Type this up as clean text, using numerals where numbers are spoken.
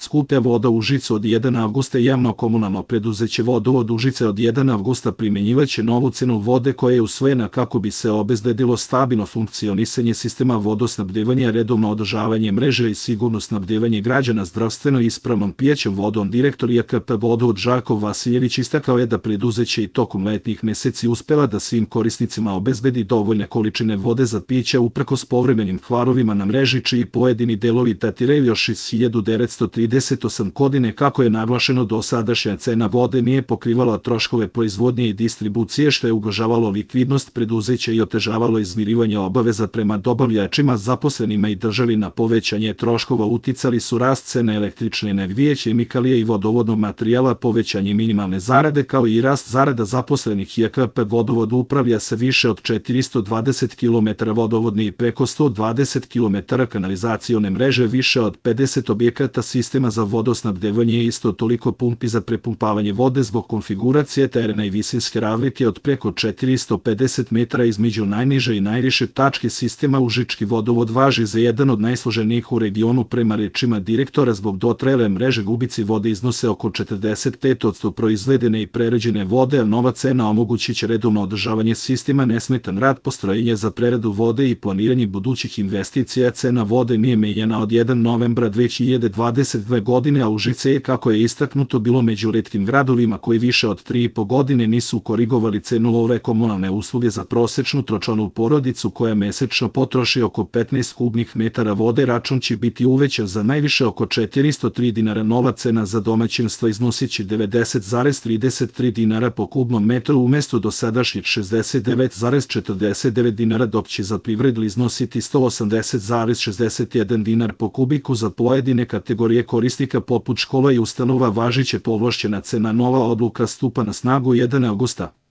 Skuplja voda Užice od 1. avgusta. Javno komunalno preduzeće Vodovod Užice od 1. avgusta primjenjivaće novu cenu vode koja je usvojena kako bi se obezbedilo stabilno funkcionisanje sistema vodosnabdevanja, redovno održavanje mreže i sigurno snabdevanje građana zdravstveno ispravnom pijaćom vodom. Direktor JKP Vodovod Žarko Vasiljević istakao je da preduzeće i tokom letnjih meseci uspela da svim korisnicima obezbedi dovoljne količine vode za piće uprkos povremenim kvarovima na mreži, čiji pojedini delovi datiraju još iz 1938. godine. Kako je naglašeno, dosadašnja cena vode nije pokrivala troškove proizvodnje i distribucije, što je ugrožavalo likvidnost preduzeća i otežavalo izmirivanje obaveza prema dobavljačima, zaposlenima i državi. Na povećanje troškova uticali su rast cena električne energije, hemikalije i vodovodnog materijala, povećanje minimalne zarade kao i rast zarada zaposlenih. JKP Vodovod upravlja sa više od 420 km vodovodne i preko 120 km kanalizacione mreže, više od 50 objekata sistema za vodosnabdevanje i isto toliko pumpi za prepumpavanje vode. Zbog konfiguracije terena i visinske razlike od preko 450 metara između najniže i najviše tačke sistema, Užički vodovod važi za jedan od najsloženijih u regionu. Prema rečima direktora, zbog dotrajale mreže gubici vode iznose oko 45% proizvedene i prerađene vode, a nova cena omogućit će redovno održavanje sistema, nesmetan rad postrojenja za preradu vode i planiranje budućih investicija. Cena vode nije menjana od 1. novembra 2022. godine, a Užice je, kako je istaknuto, bilo među retkim gradovima koji više od 3,5 godine nisu korigovali cenu ove komunalne usluge za prosečnu tročlanu porodicu koja mesečno potroši oko 15 kubnih metara vode. Račun će biti uvećan za najviše oko 403 dinara. Nova cena za domaćinstva iznosiće 90,33 dinara po kubnom metru umesto dosadašnjih 69,49 dinara, dok će za privredu iznositi 180,61 dinar po kubiku. Za pojedine kategorije korisnika poput škola i ustanova važiće povlašćena cena. Nova odluka stupa na snagu 1. avgusta.